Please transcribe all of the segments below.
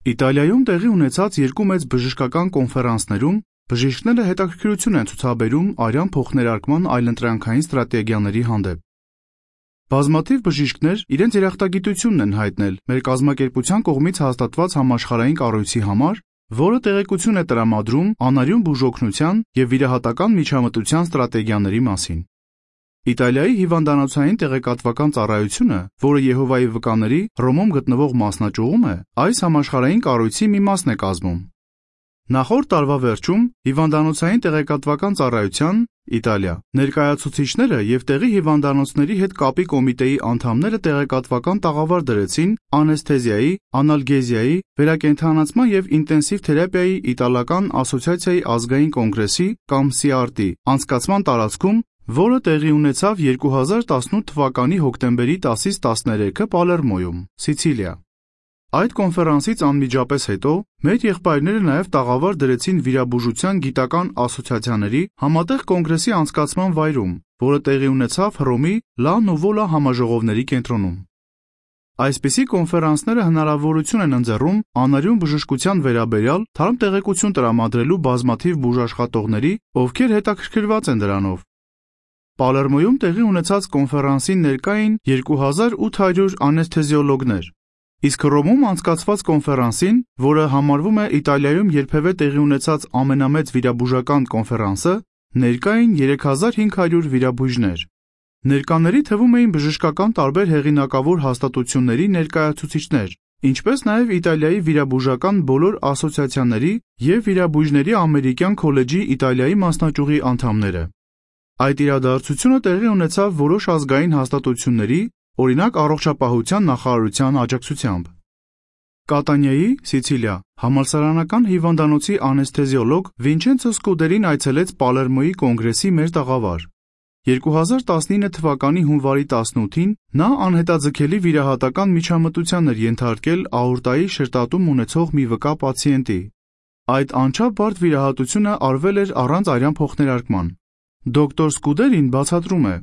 Իտալիայում տեղի ունեցած երկու մեծ բժշկական կոնֆերանսներում բժիշկները հետաքրքրություն են ցուցաբերում արյան փոխներարկման այլընտրանքային ստրատեգիաների հանդեպ։ Բազմաթիվ բժիշկներ իրենց երախտագիտությունն են հայտնել մեր կազմակերպության կողմից հաստատված համաշխարհային կառույցի համար, որը տեղեկություն է տրամադրում անարյուն բուժօգնության և վիրահատական միջամտության ստրատեգիաների մասին։ Իտալիայի հիվանդանոցային տեղեկատվական ծառայությունը, որը Եհովայի վկաների Հռոմում գտնվող մասնաճյուղում է, այս համաշխարհային կառույցի մի մասն է կազմում։ Նախորդ տարվա վերջում հիվանդանոցային տեղեկատվական ծառայության Իտալիա ներկայացուցիչները և տեղի հիվանդանոցների հետ կապի կոմիտեի անդամները տեղեկատվական տաղավար դրեցին անեսթեզիայի, անալգեզիայի, վերակենդանացման և ինտենսիվ թերապիայի իտալական ասոցիացիայի ազգային կոնգրեսի կամ CRT անցկացման տարածքում, որը տեղի ունեցավ 2018 թվականի հոկտեմբերի 10-ից 13-ը Պալերմոյում, Սիցիլիա։ Այդ կոնֆերանսից անմիջապես հետո մեր եղբայրները նաև տաղավար դրեցին վիրաբուժության գիտական ասոցիացիաների համատեղ կոնգրեսի անցկացման վայրում, որը տեղի ունեցավ Հռոմի Լա Նուվոլա համաժողովների կենտրոնում։ Այսպիսի կոնֆերանսները հնարավորություն են ընձեռում անարյուն բժշկության վերաբերյալ թարմ տեղեկություն տրամադրելու բազմաթիվ բուժաշխատողների, ովքեր հետաքրքրված են դրանով։ Պալերմոյում տեղի ունեցած կոնֆերանսին ներկա էին 2800 անեսթեզիոլոգներ, իսկ Հռոմում անցկացված կոնֆերանսին, որը համարվում է Իտալիայում երբևէ տեղի ունեցած ամենամեծ վիրաբուժական կոնֆերանսը, ներկա էին 3500 վիրաբույժներ։ Ներկաների թվում էին բժշկական տարբեր հեղինակավոր հաստատությունների ներկայացուցիչներ, ինչպես նաև Իտալիայի վիրաբուժական բոլոր ասոցիացիաների և վիրաբույժների ամերիկյան քոլեջի Իտալիայի մասնաճյուղի անդամները։ Այդ իրադարձությունը տեղի ունեցավ որոշ ազգային հաստատությունների, օրինակ առողջապահության նախարարության աջակցությամբ։ Կատանիայի, Սիցիլիա, համալսարանական հիվանդանոցի անեսթեզիոլոգ Վինչենցո Սկուդերին այցելեց Պալերմոյի կոնգրեսի մեր տաղավար։ 2019 թվականի հունվարի 18-ին նա անհետաձգելի վիրահատական միջամտության էր ենթարկել աորտայի շրտատում ունեցող մի վկա պացիենտի։ Այդ անչափ բարդ վիրահատությունը արվել էր առանց արյան փոխներարկման։ Դոկտոր Սկուդերին բացատրում է.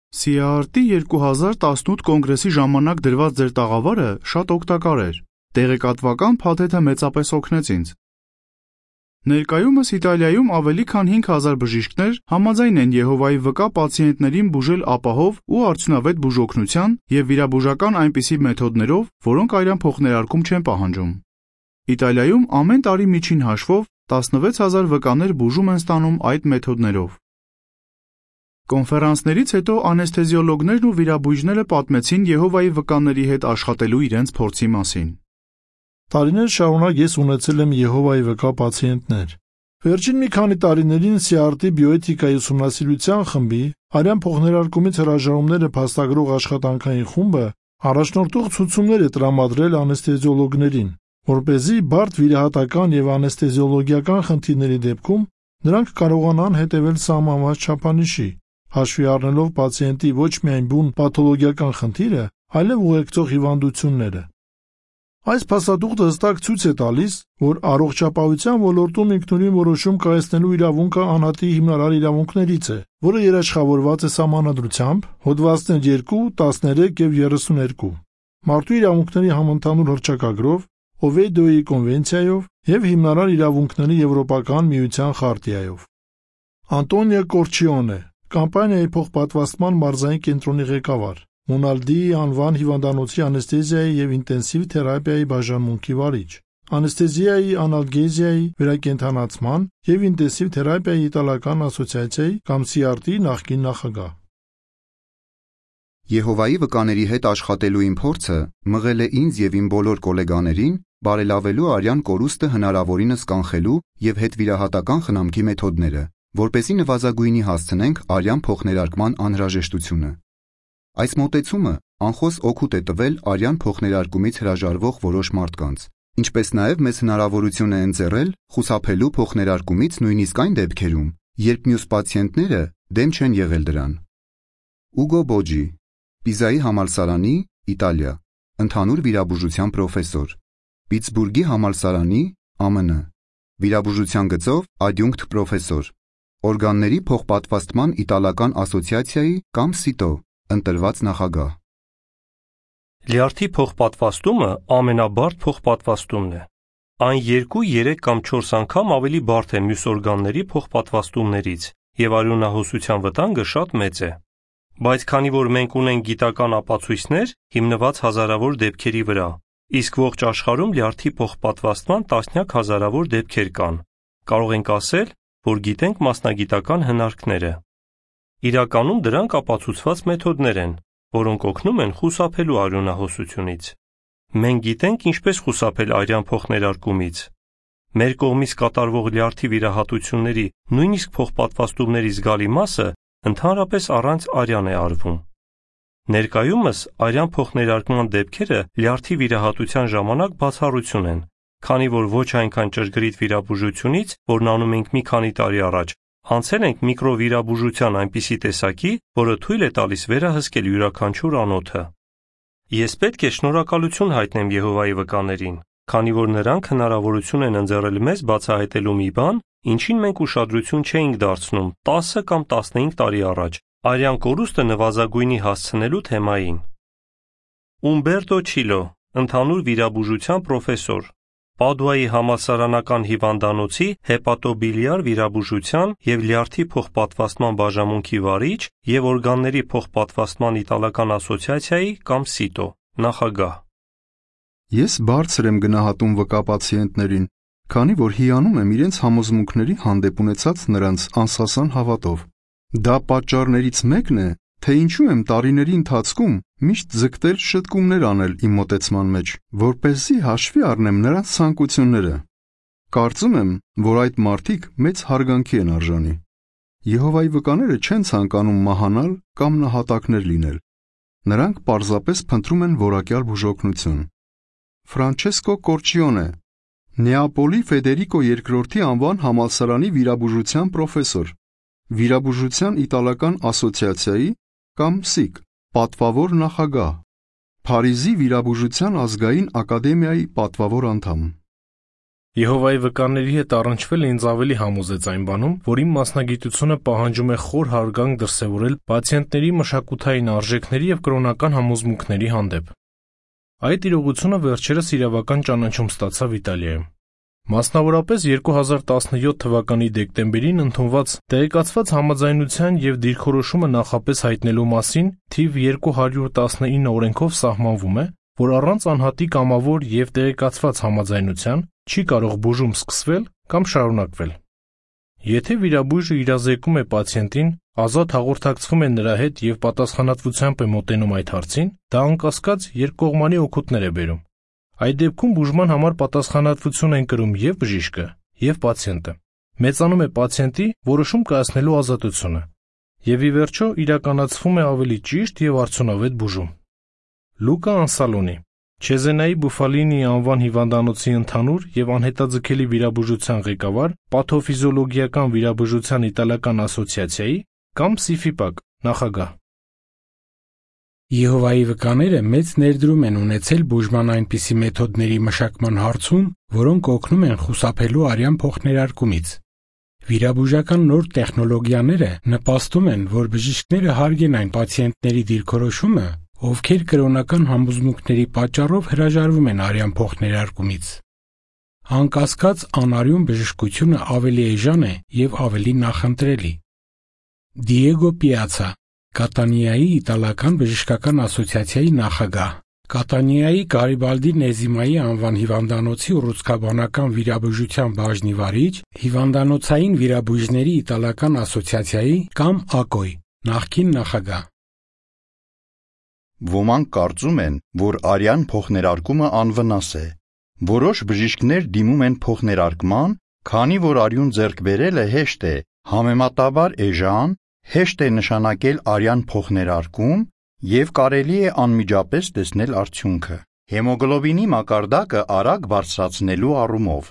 CRT 2018 կոնգրեսի ժամանակ դրված ձեր տաղավարը շատ օգտակար էր։ Տեղեկատվական փաթեթը մեծապես օգնեց ինձ։ Ներկայումս Իտալիայում ավելի քան 5000 բժիշկներ համաձայն են Եհովայի վկա պացիենտներին բուժել ապահով ու արդյունավետ բուժօգնության և վիրաբուժական այնպիսի մեթոդներով, որոնք արյան փոխներարկում չեն պահանջում։ Իտալիայում ամեն տարի միջին հաշվով 16000 վկաներ բուժում են ստանում այդ մեթոդներով։ Կոնֆերանսներից հետո անեսթեզիոլոգներն ու վիրաբույժները պատմեցին Եհովայի վկաների հետ աշխատելու իրենց փորձի մասին։ Տարիներ շարունակ ես ունեցել եմ Եհովայի վկա պացիենտներ։ Վերջին մի քանի տարիներին CRT բիոէթիկայի ուսումնասիրության խմբի արյան փոխներարկումից հրաժարումները փաստագրող աշխատանքային խումբը առաջնորդող ցուցումներ է տրամադրել անեսթեզիոլոգներին, որպեսզի բարդ վիրահատական և անեսթեզիոլոգիական խնդիրների դեպքում նրանք կարողանան հետևել սահմանված չափանիշի, հաշվի առնելով պացիենտի ոչ միայն բուն պաթոլոգիական խնդիրը, այլև ուղեկցող հիվանդությունները։ Այս փաստաթուղթը հստակ ցույց է տալիս, որ առողջապահության ոլորտում ինքնուրույն որոշում կայացնելու իրավունքը անհատի հիմնարար իրավունքներից է, որը երաշխավորված է Սահմանադրությամբ, հոդվածներ 2, 13 և 32, Մարդու իրավունքների համընդհանուր հռչակագրով, Օվեյդոյի կոնվենցիայով և Հիմնարար իրավունքների Եվրոպական միության խարտիայով։ Անտոնիո Կորչիոնե, կամպանիայի փոխպատվաստման մարզային կենտրոնի ղեկավար, Մոնալդիի անվան հիվանդանոցի անեսթեզիայի և ինտենսիվ թերապիայի բաժանմունքի վարիչ, անեսթեզիայի, անալգեզիայի, վերակենդանացման և ինտենսիվ թերապիայի իտալական ասոցիացիայի կամ CRT նախկին նախագահ։ Եհովայի վկաների հետ աշխատելու իմ փորձը մղել է ինձ և իմ բոլոր գոլեգաներին բարելավելու արյան կորուստը հնարավորինս կանխելու և հետվիրահատական խնամքի մեթոդները, որպեսզի նվազագույնի հասցնենք արյան փոխներարկման անհրաժեշտությունը։ Այս մոտեցումը անխոս օգուտ է տվել արյան փոխներարկումից հրաժարվող որոշ մարդկանց, ինչպես նաև մեզ հնարավորություն է ընձեռել խուսափելու փոխներարկումից նույնիսկ այն դեպքերում, երբ մյուս պացիենտները դեմ չեն եղել դրան։ Ուգո Բոջի, Պիզայի համալսարանի, Իտալիա, ընդհանուր վիրաբուժության պրոֆեսոր, Պիտսբուրգի համալսարանի, ԱՄՆ, վիրաբուժության գծով ադյունկտ պրոֆեսոր, օրգանների փոխպատվաստման իտալական ասոցիացիայի կամ ՍԻՏՕ ընտրված նախագահ։ Լյարդի փոխպատվաստումը ամենաբարդ փոխպատվաստումն է։ Այն 2, 3 կամ 4 անգամ ավելի բարդ է մյուս օրգանների փոխպատվաստումներից, եւ արյունահոսության վտանգը շատ մեծ է։ Բայց քանի որ մենք ունենք գիտական ապացույցներ հիմնված հազարավոր դեպքերի վրա, իսկ ողջ աշխարհում լյարդի փոխպատվաստման տասնյակ հազարավոր դեպքեր կան, կարող ենք ասել, որ գիտենք մասնագիտական հնարքները։ Իրականում դրանք ապացուցված մեթոդներ են, որոնք օգնում են խուսափելու արյունահոսությունից։ Մենք գիտենք ինչպես խուսափել արյան փոխներարկումից։ Մեր կողմից կատարվող լյարդի վիրահատությունների նույնիսկ փոխպատվաստումների զգալի մասը ընդհանրապես առանց արյան է արվում։ Ներկայումս արյան փոխներարկման դեպքերը լյարդի վիրահատության ժամանակ բացառություն են, քանի որ ոչ այնքան ճշգրիտ վիրաբուժությունից, որն անում ենք մի քանի տարի առաջ, անցել ենք միկրովիրաբուժության այնպիսի տեսակի, որը թույլ է տալիս վերահսկել յուրաքանչյուր անոթը։ Ես պետք է շնորհակալություն հայտնեմ Եհովայի վկաներին, քանի որ նրանք հնարավորություն են ընձեռել մեզ բացահայտելու մի բան, ինչին մենք ուշադրություն չէինք դարձնում 10 կամ 15 տարի առաջ, արյան կորուստը նվազագույնի հասցնելու թեմային։ Ումբերտո Չիլո, ընդհանուր վիրաբուժության պրոֆեսոր, Պադուայի համալսարանական հիվանդանոցի հեպատոբիլիար վիրաբուժության և լյարդի փոխպատվաստման բաժանմունքի վարիչ և օրգանների փոխպատվաստման իտալական ասոցիացիայի կամ ՍԻՏՕ նախագահ։ Ես բարձր եմ գնահատում վկա պացիենտներին, քանի որ հիանում եմ իրենց համոզմունքների հանդեպ ունեցած նրանց անսասան հավատով։ Դա պատճառներից մեկն է, թե ինչու եմ տարիների ընթացքում միշտ ձգտել շտկումներ անել իմ մոտեցման մեջ, որպեսզի հաշվի առնեմ նրանց ցանկությունները։ Կարծում եմ, որ այդ մարդիկ մեծ հարգանքի են արժանի։ Եհովայի վկաները չեն ցանկանում մահանալ կամ նահատակներ լինել։ Նրանք պարզապես փնտրում են որակյալ բուժօգնություն։ Ֆրանչեսկո Կորչիոնե, Նեապոլի Ֆեդերիկո II անվան համալսարանի վիրաբուժության պրոֆեսոր, վիրաբուժության իտալական ասոցիացիայի կամ ՍԻԿ պատվավոր նախագահ, Փարիզի վիրաբուժության ազգային ակադեմիայի պատվավոր անդամ։ Եհովայի վկաների հետ առնչվելը ինձ ավելի համոզեց այն բանում, որ իմ մասնագիտությունը պահանջում է խոր հարգանք դրսևորել պացիենտների մշակութային արժեքների և կրոնական համոզմունքների հանդեպ։ Այդ իրողությունը վերջերս իրավական ճանաչում ստացավ Իտալիայում։ Մասնավորապես 2017 թվականի դեկտեմբերին ընդունված տեղեկացված համաձայնության և դիրքորոշումը նախապես հայտնելու մասին թիվ 219 օրենքով սահմանվում է, որ առանց անհատի կամավոր և տեղեկացված համաձայնության չի կարող բուժում սկսվել կամ շարունակվել։ Եթե վիրաբույժը իրազեկում է պացիենտին, ազատ հաղորդակցվում է նրա հետ և պատասխանատվությամբ է մոտենում այդ հարցին, դա անկասկած երկկողմանի օգուտներ է բերում։ Այդ դեպքում բուժման համար պատասխանատվություն են կրում և բժիշկը, և պացիենտը։ Մեծանում է պացիենտի որոշում կայացնելու ազատությունը, և ի վերջո իրականացվում է ավելի ճիշտ և արդյունավետ բուժում։ Լուկա Անսալոնի, Չեզենայի Բուֆալինի անվան հիվանդանոցի ընդհանուր և անհետաձգելի վիրաբուժության ղեկավար, Պաթոֆիզիոլոգիական վիրաբուժության իտալական ասոցիացիայի կամ ՍԻՖԻՊԱԿ նախագահ։ Եհովայի վկաները մեծ ներդրում են ունեցել բուժման այնպիսի մեթոդների մշակման հարցում, որոնք օգնում են խուսափելու արյան փոխներարկումից։ Վիրաբուժական նոր տեխնոլոգիաները նպաստում են, որ բժիշկները հարգեն այն պացիենտների դիրքորոշումը, ովքեր կրոնական համոզմունքների պատճառով հրաժարվում են արյան փոխներարկումից։ Անկասկած, անարյուն բժշկությունը ավելի էժան է և ավելի նախընտրելի։ Դիեգո Պիացա, Կատանիայի իտալական բժշկական ասոցիացիայի նախագահ, Կատանիայի Գարիբալդի Նեզիմայի անվան հիվանդանոցի ուռուցքաբանական վիրաբուժության բաժնի վարիչ, հիվանդանոցային վիրաբույժների իտալական ասոցիացիայի կամ ԱԿՕ-ի նախկին նախագահ։ Ոմանք կարծում են, որ արյան փոխներարկումը անվնաս է։ Որոշ բժիշկներ դիմում են փոխներարկման, քանի որ արյուն ձեռք բերելը հեշտ է, համեմատաբար էժան, հեշտ է նշանակել արյան փոխներարկում և կարելի է անմիջապես տեսնել արդյունքը։ Հեմոգլոբինի մակարդակը արագ բարձրացնելու առումով։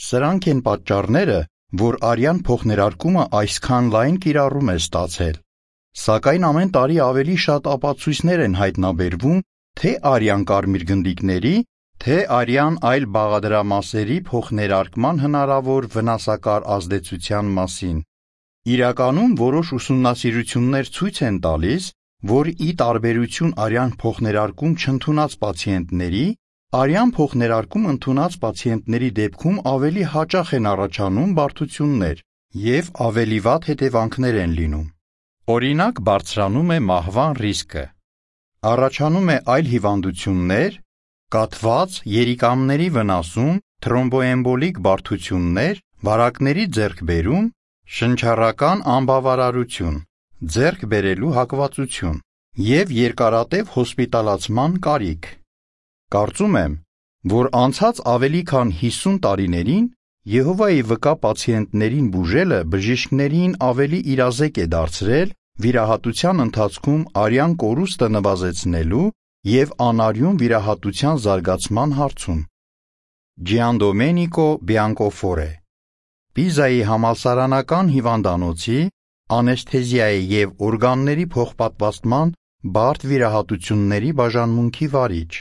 Սրանք են պատճառները, որ արյան փոխներարկումը այսքան լայն կիրառում է ստացել։ Սակայն ամեն տարի ավելի շատ ապացույցներ են հայտնաբերվում թե արյան կարմիր գնդիկների, թե արյան այլ բաղադրամասերի փոխներարկման հնարավոր վնասակար ազդեցության մասին։ Իրականում որոշ ուսումնասիրություններ ցույց են տալիս, որ ի տարբերություն արյան փոխներարկում չընդունած պացիենտների, Արյան փոխներարկում ընդունած պացիենտների դեպքում ավելի հաճախ են առաջանում բարդություններ և ավելի վատ հետևանքներ են լինում։ Օրինակ, բարձրանում է մահվան ռիսկը։ Առաջանում է այլ հիվանդություններ, կաթված, երիկամների վնասում, թրոմբոէմբոլիկ բարդություններ, վարակների ձեռքբերում, շնչառական անբավարարություն, ձեռք բերելու հակվածություն և երկարատև հոսպիտալացման կարիք։ Կարծում եմ, որ անցած ավելի քան 50 տարիներին Եհովայի վկա պացիենտներին բուժելը բժիշկներին ավելի իրազեկ է դարձրել վիրահատության ընթացքում արյան կորուստը նվազեցնելու և անարյուն վիրահատության զարգացման հարցում։ Giandomenico Biancofore, Պիզայի համալսարանական հիվանդանոցի, անեսթեզիայի և օրգանների փոխպատվաստման բարդ վիրահատությունների բաժանմունքի վարիչ,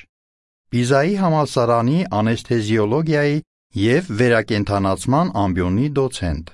Պիզայի համալսարանի անեսթեզիոլոգիայի և վերակենդանացման ամբիոնի դոցենտ։